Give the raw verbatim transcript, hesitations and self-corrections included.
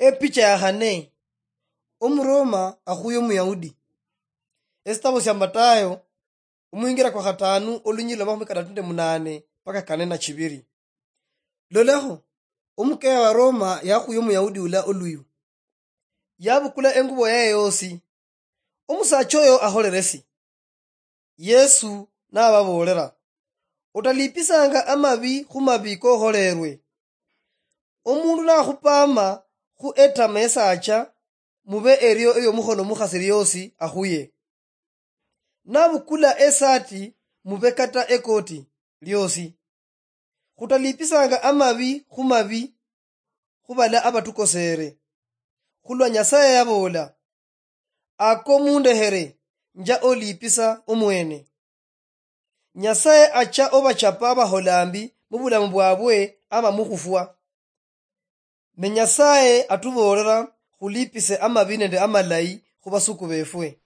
Epicha ya khane. Omuroma akhuye Omuyahudi. Esitabo sia Matayo, omwingira kwa khatanu, olunyililo lwa makhumi katatu nende munane mpaka kane na chibiri. Lolakho, omukeya wa Roma yakhuye Omuyahudi ula oluyu. Yabukula engubo yaye yosi. Omusacha oyo akholere si? Yesu nababoolera, "Otalipisanga amabi khu mabi kokholerwe. Omundu nakhupama khu etama esacha, mube erio eyomukhono mukhasi liosi akhuye. Nabukula esati, mube kata ekoti liosi. Khutalipisanga amabi khu mabi khubala abatukosere. Khulwa Nyasaye yaboola, 'Ako mundekhere, nja olipisa omwene.'" Nyasaye acha obachapa abahola mbi mubulamu bwabwe ama mukhufwa. Ne Nyasaye atuboolera khulipise amabi nende amalayi khubasuku befwe.